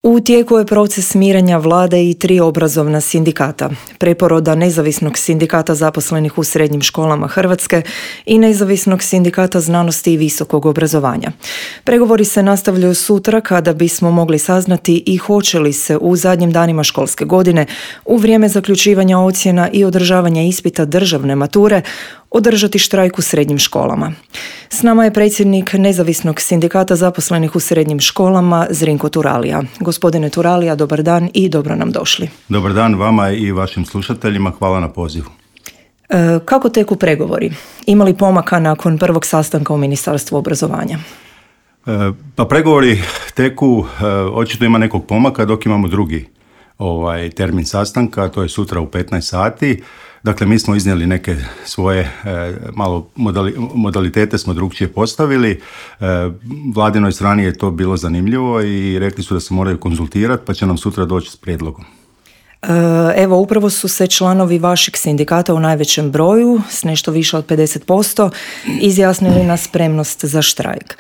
U tijeku je proces mirenja vlade i 3 obrazovna sindikata, preporoda Nezavisnog sindikata zaposlenih u srednjim školama Hrvatske i Nezavisnog sindikata znanosti i visokog obrazovanja. Pregovori se nastavljaju sutra kada bismo mogli saznati i hoće li se u zadnjim danima školske godine, u vrijeme zaključivanja ocjena i održavanja ispita državne mature, održati štrajk u srednjim školama. S nama je predsjednik Nezavisnog sindikata zaposlenih u srednjim školama Zrinko Turalija. Gospodine Turalija, dobar dan i dobro nam došli. Dobar dan vama i vašim slušateljima, hvala na pozivu. Kako teku pregovori? Ima li pomaka nakon prvog sastanka u Ministarstvu obrazovanja? Pa pregovori teku, očito ima nekog pomaka dok imamo drugi termin sastanka, to je sutra u 15 sati. Dakle, mi smo iznijeli neke svoje malo modalitete smo drugčije postavili. Vladinoj strani je to bilo zanimljivo i rekli su da se moraju konzultirati, pa će nam sutra doći s prijedlogom. Evo, upravo su se članovi vašeg sindikata u najvećem broju, s nešto više od 50%, izjasnili na spremnost za štrajk.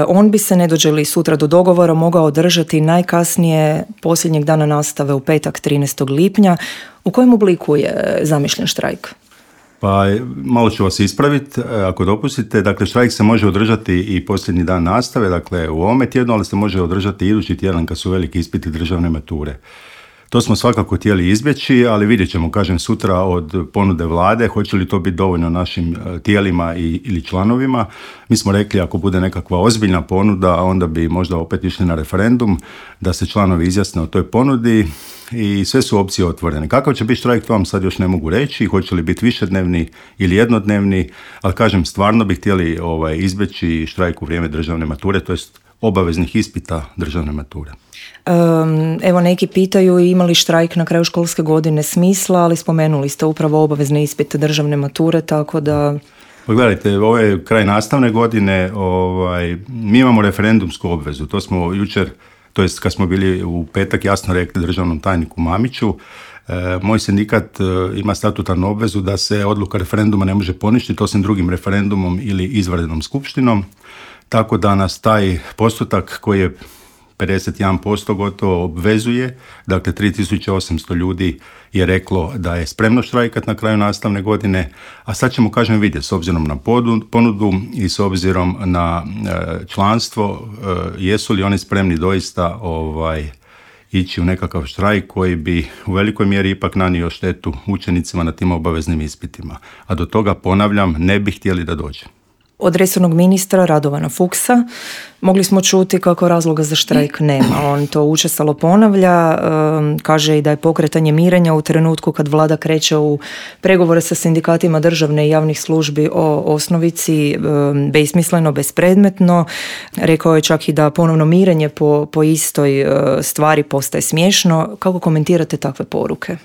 On bi se, ne dođe li sutra do dogovora, mogao održati najkasnije posljednjeg dana nastave u petak 13. lipnja. U kojem obliku je zamišljen štrajk? Pa malo ću vas ispraviti, ako dopustite. Dakle, štrajk se može održati i posljednji dan nastave, dakle u ovome tjednu, ali se može održati i idući tjedan kad su veliki ispiti državne mature. To smo svakako htjeli izbjeći, ali vidjet ćemo, kažem, sutra od ponude vlade, hoće li to biti dovoljno našim tijelima ili članovima. Mi smo rekli, ako bude nekakva ozbiljna ponuda, onda bi možda opet išli na referendum, da se članovi izjasne o toj ponudi i sve su opcije otvorene. Kakav će biti štrajk, to vam sad još ne mogu reći, hoće li biti višednevni ili jednodnevni, ali kažem, stvarno bi htjeli izbjeći štrajk u vrijeme državne mature, to jest obaveznih ispita državne mature. Evo, neki pitaju ima li štrajk na kraju školske godine smisla, ali spomenuli ste upravo obavezne ispite državne mature, tako da... Pa gledajte, ovo je kraj nastavne godine, mi imamo referendumsku obvezu, to smo jučer, to jest kad smo bili u petak, jasno rekli državnom tajniku Mamiću. Moj sindikat ima statutarnu obvezu da se odluka referenduma ne može poništiti osim drugim referendumom ili izvanrednom skupštinom, tako da nas taj postotak koji je 51% gotovo obvezuje, dakle 3800 ljudi je reklo da je spremno štrajkat na kraju nastavne godine, a sad ćemo, kažem, vidjeti s obzirom na ponudu i s obzirom na članstvo, jesu li oni spremni doista ići u nekakav štrajk koji bi u velikoj mjeri ipak nanio štetu učenicima na tim obaveznim ispitima. A do toga, ponavljam, ne bi htjeli da dođe. Od resornog ministra Radovana Fuchsa mogli smo čuti kako razloga za štrajk nema. On to učestalo ponavlja, kaže i da je pokretanje mirenja u trenutku kad vlada kreće u pregovore sa sindikatima državne i javnih službi o osnovici besmisleno, bespredmetno. Rekao je čak i da ponovno mirenje po istoj stvari postaje smiješno. Kako komentirate takve poruke?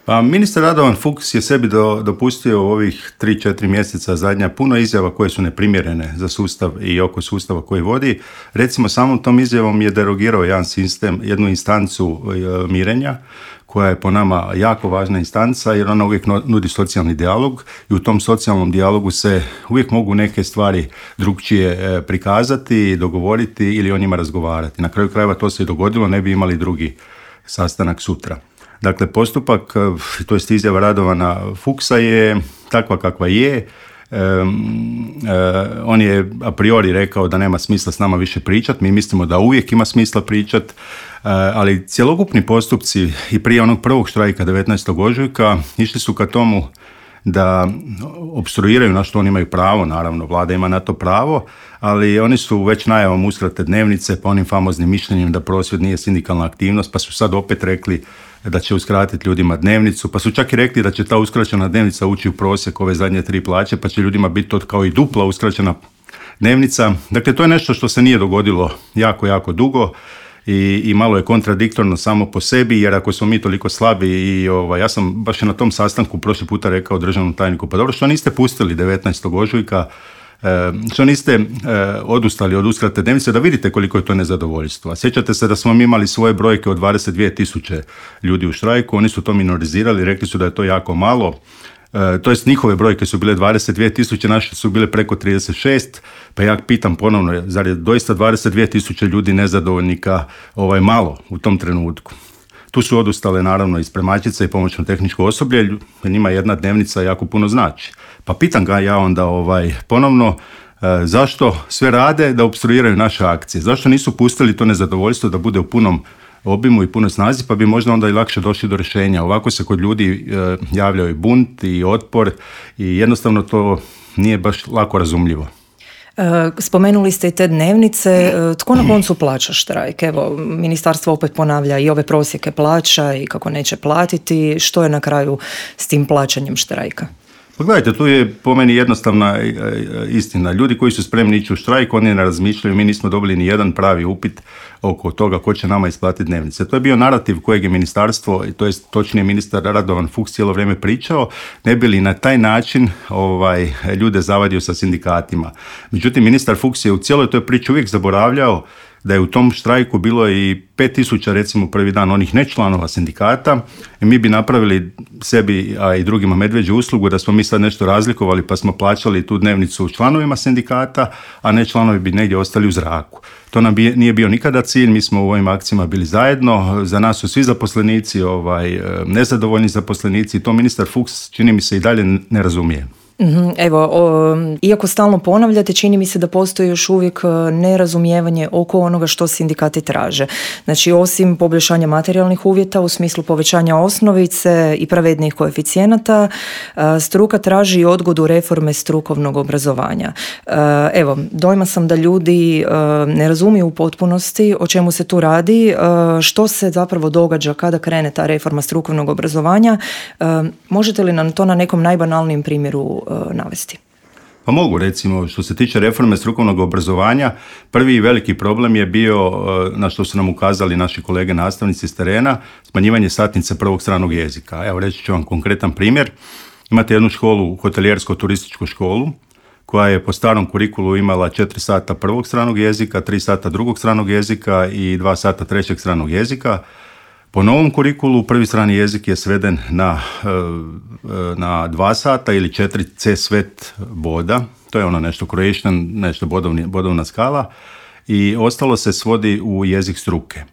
Pa ministar Radovan Fuchs je sebi dopustio u ovih 3-4 mjeseca zadnja puno izjava koje su neprimjerene za sustav i oko sustava koji vodi. Recimo, samom tom izjavom je derogirao jedan sistem, jednu instancu mirenja, koja je po nama jako važna instanca jer ona uvijek nudi socijalni dijalog i u tom socijalnom dijalogu se uvijek mogu neke stvari drugčije prikazati, dogovoriti ili o njima razgovarati. Na kraju krajeva to se i dogodilo, ne bi imali drugi sastanak sutra. Dakle, postupak, to jest izjava Radovana Fuchsa je takva kakva je. On je a priori rekao da nema smisla s nama više pričati, mi mislimo da uvijek ima smisla pričati, ali cjelokupni postupci i prije onog prvog štrajka 19. ožujka išli su ka tomu da opstruiraju, na što oni imaju pravo, naravno, vlada ima na to pravo, ali oni su već najavom uskrate dnevnice pa onim famoznim mišljenjem da prosvjed nije sindikalna aktivnost, pa su sad opet rekli da će uskratiti ljudima dnevnicu, pa su čak i rekli da će ta uskraćena dnevnica ući u prosjek ove zadnje 3 plaće, pa će ljudima biti to kao i dupla uskraćena dnevnica. Dakle, to je nešto što se nije dogodilo jako, jako dugo i malo je kontradiktorno samo po sebi, jer ako smo mi toliko slabi i ja sam baš na tom sastanku prošli puta rekao državnom tajniku, pa dobro, što niste pustili 19. ožujka, što niste odustali od uskrate dnevnice, da vidite koliko je to nezadovoljstvo. Sjećate se da smo mi imali svoje brojke od 22.000 ljudi u štrajku, oni su to minorizirali, rekli su da je to jako malo. to jest njihove brojke su bile 22.000, naše su bile preko 36, pa ja pitam ponovno, zar je doista 22.000 ljudi nezadovoljnika malo u tom trenutku? Tu su odustale naravno i spremačice i pomoćno tehničko osoblje, jer njima jedna dnevnica jako puno znači. Pa pitam ga ja onda ponovno, zašto sve rade da opstruiraju naše akcije? Zašto nisu pustili to nezadovoljstvo da bude u punom obimu i punoj snazi, pa bi možda onda i lakše došli do rješenja. Ovako se kod ljudi javljaju i bunt i otpor i jednostavno to nije baš lako razumljivo. Spomenuli ste i te dnevnice. Tko na koncu plaća štrajk? Evo, ministarstvo opet ponavlja i ove prosjeke plaća i kako neće platiti. Što je na kraju s tim plaćanjem štrajka? Pa gledajte, tu je po meni jednostavna istina. Ljudi koji su spremni ići u štrajk, oni ne razmišljaju, mi nismo dobili ni jedan pravi upit oko toga ko će nama isplatiti dnevnice. To je bio narativ kojeg je ministarstvo, to je točnije ministar Radovan Fuchs cijelo vrijeme pričao, ne bi li na taj način ljude zavadio sa sindikatima. Međutim, ministar Fuchs je u cijeloj toj priči uvijek zaboravljao da je u tom štrajku bilo i 5.000 recimo prvi dan onih nečlanova sindikata i mi bi napravili sebi, a i drugima medveđu uslugu da smo mi sad nešto razlikovali pa smo plaćali tu dnevnicu članovima sindikata, a ne članovi bi negdje ostali u zraku. To nam nije bio nikada cilj, mi smo u ovim akcijama bili zajedno, za nas su svi zaposlenici, nezadovoljni zaposlenici, to ministar Fuchs čini mi se i dalje ne razumije. Evo, iako stalno ponavljate, čini mi se da postoji još uvijek nerazumijevanje oko onoga što sindikati traže. Znači, osim poboljšanja materijalnih uvjeta u smislu povećanja osnovice i pravednijih koeficijenata, struka traži i odgodu reforme strukovnog obrazovanja. Evo, dojma sam da ljudi ne razumiju u potpunosti o čemu se tu radi, što se zapravo događa kada krene ta reforma strukovnog obrazovanja. Možete li nam to na nekom najbanalnijem primjeru navesti? Pa mogu, recimo, što se tiče reforme strukovnog obrazovanja, prvi veliki problem je bio, na što su nam ukazali naši kolege nastavnici s terena, smanjivanje satnice prvog stranog jezika. Evo, reći ću vam konkretan primjer. Imate jednu školu, hotelijersko-turističku školu, koja je po starom kurikulu imala 4 sata prvog stranog jezika, 3 sata drugog stranog jezika i 2 sata trećeg stranog jezika. Po novom kurikulu prvi strani jezik je sveden na 2 sata ili 4 C-svet boda, to je ono nešto Croatian, nešto bodovna skala, i ostalo se svodi u jezik struke.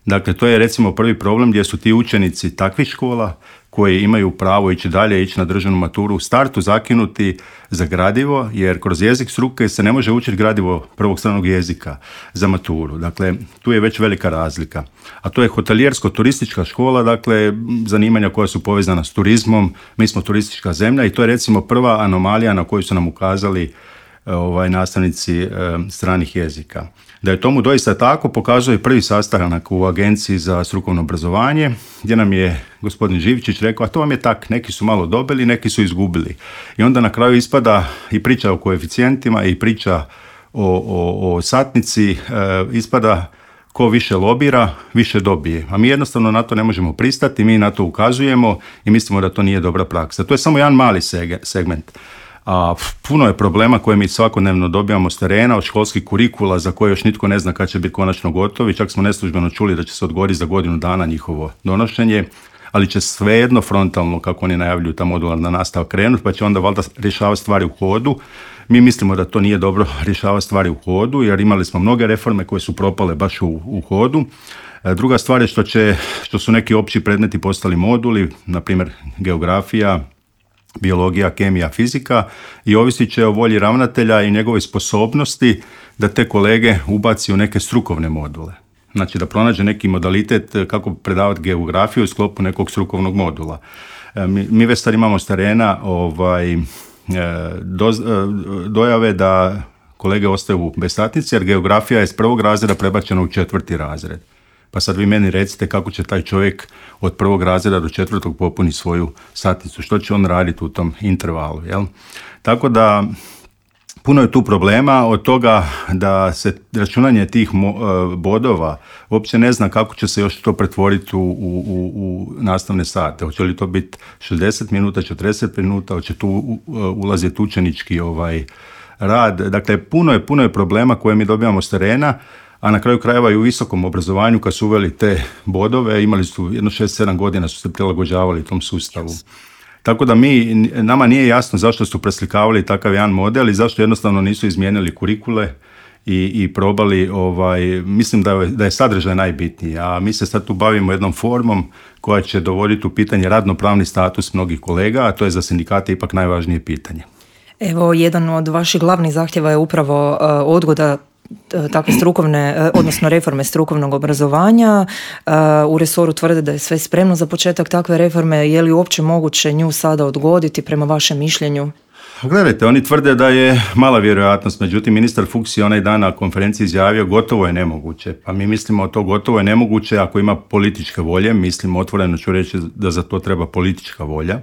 Dakle, to je recimo prvi problem gdje su ti učenici takvih škola koji imaju pravo ići dalje, ići na državnu maturu u startu zakinuti za gradivo, jer kroz jezik struke se ne može učiti gradivo prvog stranog jezika za maturu. Dakle, tu je već velika razlika. A to je hotelijersko-turistička škola, dakle, zanimanja koja su povezana s turizmom. Mi smo turistička zemlja i to je recimo prva anomalija na koju su nam ukazali nastavnici stranih jezika. Da je tomu doista tako pokazuje prvi sastanak u Agenciji za strukovno obrazovanje, gdje nam je gospodin Živčić rekao, a to vam je tak, neki su malo dobili, neki su izgubili. I onda na kraju ispada i priča o koeficijentima i priča o satnici, ispada ko više lobira, više dobije. A mi jednostavno na to ne možemo pristati, mi na to ukazujemo i mislimo da to nije dobra praksa. To je samo jedan mali segment. A puno je problema koje mi svakodnevno dobijamo s terena, od školskih kurikula za koje još nitko ne zna kad će biti konačno gotovi. Čak smo neslužbeno čuli da će se odgoditi za godinu dana njihovo donošenje, ali će svejedno frontalno, kako oni najavljuju, ta modularna nastava krenuti, pa će onda valjda rješavati stvari u hodu. Mi mislimo da to nije dobro rješavati stvari u hodu, jer imali smo mnoge reforme koje su propale baš u hodu. Druga stvar je što su neki opći predmeti postali moduli, na primjer geografija, biologija, kemija, fizika, i ovisit će o volji ravnatelja i njegove sposobnosti da te kolege ubaci u neke strukovne module. Znači da pronađe neki modalitet kako predavati geografiju u sklopu nekog strukovnog modula. Mi već sad imamo s terena dojave da kolege ostaju bez satnice, jer geografija je s 1. razreda prebačena u 4. razred. Pa sad vi meni recite kako će taj čovjek od 1. razreda do 4. popuni svoju satnicu, što će on raditi u tom intervalu, jel? Tako da puno je tu problema, od toga da se računanje tih bodova uopće ne zna kako će se još to pretvoriti u nastavne sate. Hoće li to biti 60 minuta, 40 minuta, hoće tu ulaziti učenički rad. Dakle, puno je problema koje mi dobijamo s terena, a na kraju krajeva i u visokom obrazovanju kad su uveli te bodove, imali su jedno 6-7 godina su se prilagođavali tom sustavu. Tako da nama nije jasno zašto su preslikavali takav jedan model i zašto jednostavno nisu izmijenili kurikule i probali, mislim da je sadržaj najbitniji, a mi se sad tu bavimo jednom formom koja će dovoditi u pitanje radnopravni status mnogih kolega, a to je za sindikate ipak najvažnije pitanje. Evo, jedan od vaših glavnih zahtjeva je upravo odgoda takve strukovne, odnosno reforme strukovnog obrazovanja. U resoru tvrde da je sve spremno za početak takve reforme. Je li uopće moguće nju sada odgoditi prema vašem mišljenju? Gledajte, oni tvrde da je mala vjerojatnost, međutim ministar Fuchs je onaj dan na konferenciji izjavio gotovo je nemoguće. Pa mi mislimo to gotovo je nemoguće ako ima političke volje, mislimo, otvoreno ću reći da za to treba politička volja.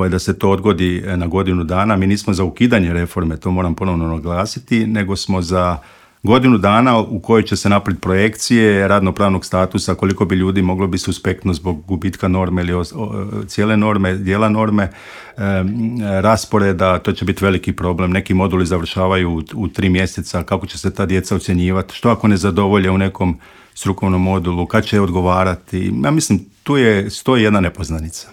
Da se to odgodi na godinu dana. Mi nismo za ukidanje reforme, to moram ponovno naglasiti, nego smo za godinu dana u kojoj će se napraviti projekcije radnopravnog statusa, koliko bi ljudi moglo biti suspektno zbog gubitka norme ili cijele norme, dijela norme, rasporeda, to će biti veliki problem. Neki moduli završavaju u 3 mjeseca, kako će se ta djeca ocjenjivati, što ako ne zadovolje u nekom strukovnom modulu, kad će odgovarati. Ja mislim, tu stoji jedna nepoznanica.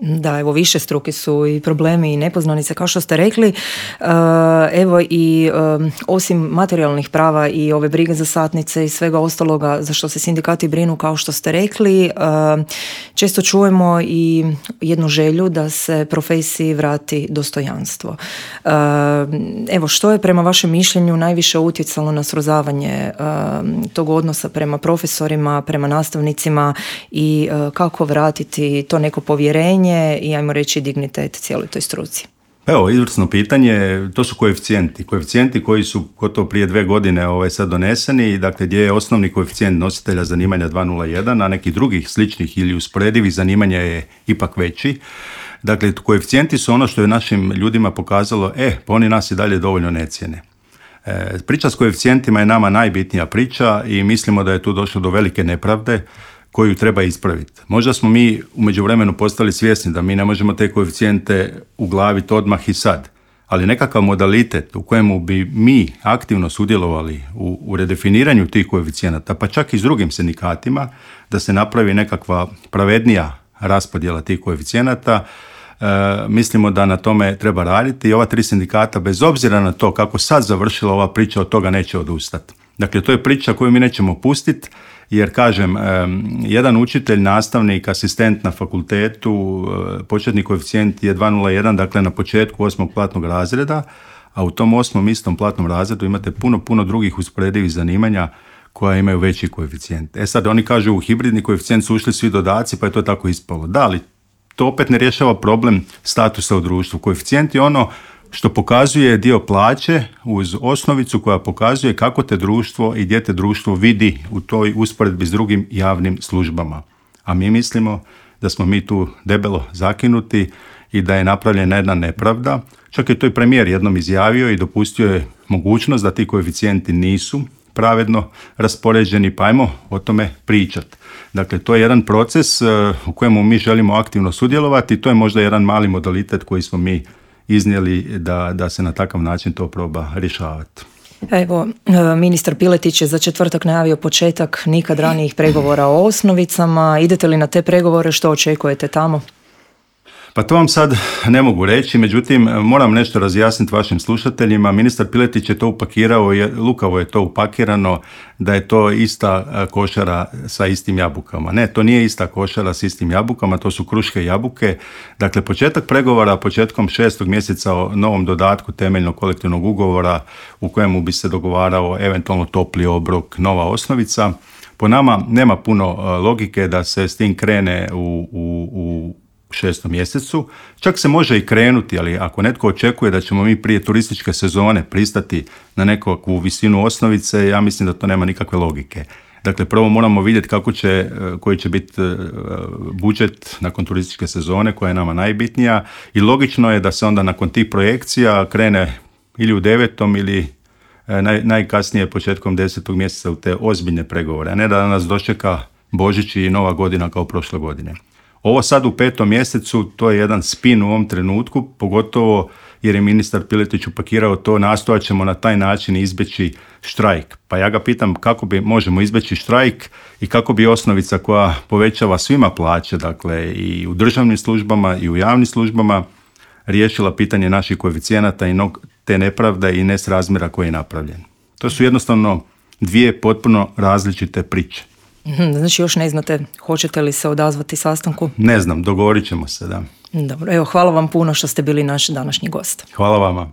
Da, evo, više struke su i problemi i nepoznanice, kao što ste rekli. Evo i osim materijalnih prava i ove brige za satnice i svega ostaloga za što se sindikati brinu, kao što ste rekli, često čujemo i jednu želju da se profesiji vrati dostojanstvo. Evo, što je prema vašem mišljenju najviše utjecalo na srozavanje tog odnosa prema profesorima, prema nastavnicima i kako vratiti to neko povjerenje i, ajmo reći, dignitet cijeloj toj struci? Evo, izvrsno pitanje, to su koeficijenti koji su gotovo prije 2 godine sad doneseni, dakle gdje je osnovni koeficijent nositelja zanimanja 201, a nekih drugih sličnih ili usporedivih zanimanja je ipak veći. Dakle, koeficijenti su ono što je našim ljudima pokazalo, pa oni nas i dalje dovoljno ne cijene. Priča s koeficijentima je nama najbitnija priča i mislimo da je tu došlo do velike nepravde koju treba ispraviti. Možda smo mi u međuvremenu postali svjesni da mi ne možemo te koeficijente uglaviti odmah i sad, ali nekakav modalitet u kojemu bi mi aktivno sudjelovali u redefiniranju tih koeficijenata, pa čak i s drugim sindikatima, da se napravi nekakva pravednija raspodjela tih koeficijenata, mislimo da na tome treba raditi i ova 3 sindikata, bez obzira na to kako sad završila ova priča, od toga neće odustati. Dakle, to je priča koju mi nećemo pustiti, jer kažem, jedan učitelj, nastavnik, asistent na fakultetu, početni koeficijent je 201, dakle na početku 8. platnog razreda, a u tom 8. istom platnom razredu imate puno drugih usporedivih zanimanja koja imaju veći koeficijent. Sad oni kažu u hibridni koeficijent su ušli svi dodaci, pa je to tako ispalo. Da, ali to opet ne rješava problem statusa u društvu. Koeficijent je ono što pokazuje dio plaće uz osnovicu koja pokazuje kako te društvo i gdje te društvo vidi u toj usporedbi s drugim javnim službama. A mi mislimo da smo mi tu debelo zakinuti i da je napravljena jedna nepravda. Čak je to i premijer jednom izjavio i dopustio je mogućnost da ti koeficijenti nisu pravedno raspoređeni, pa ajmo o tome pričati. Dakle, to je jedan proces u kojemu mi želimo aktivno sudjelovati i to je možda jedan mali modalitet koji smo mi iznijeli da se na takav način to proba rješavati. Evo, ministar Piletić je za četvrtak najavio početak nikad ranijih pregovora o osnovicama. Idete li na te pregovore? Što očekujete tamo? Pa to vam sad ne mogu reći, međutim moram nešto razjasniti vašim slušateljima. Ministar Piletić je to upakirao, lukavo je to upakirano da je to ista košara sa istim jabukama. Ne, to nije ista košara sa istim jabukama, to su kruške i jabuke. Dakle, početak pregovora početkom 6. mjeseca o novom dodatku temeljnog kolektivnog ugovora u kojemu bi se dogovarao eventualno topli obrok, nova osnovica. Po nama nema puno logike da se s tim krene u 6. mjesecu. Čak se može i krenuti, ali ako netko očekuje da ćemo mi prije turističke sezone pristati na nekakvu visinu osnovice, ja mislim da to nema nikakve logike. Dakle, prvo moramo vidjeti koji će biti budžet nakon turističke sezone, koja je nama najbitnija, i logično je da se onda nakon tih projekcija krene ili u 9. ili najkasnije početkom 10. mjeseca u te ozbiljne pregovore, a ne da nas dočeka Božić i Nova godina kao prošle godine. Ovo sad u 5. mjesecu, to je jedan spin u ovom trenutku, pogotovo jer je ministar Piletić upakirao to, nastojat ćemo na taj način izbjeći štrajk. Pa ja ga pitam kako možemo izbjeći štrajk i kako bi osnovica koja povećava svima plaće, dakle i u državnim službama i u javnim službama, riješila pitanje naših koeficijenata i te nepravde i nesrazmjera koji je napravljen. To su jednostavno dvije potpuno različite priče. Znači još ne znate hoćete li se odazvati sastanku? Ne znam, dogovorit ćemo se, da. Dobro, evo hvala vam puno što ste bili naš današnji gost. Hvala vama.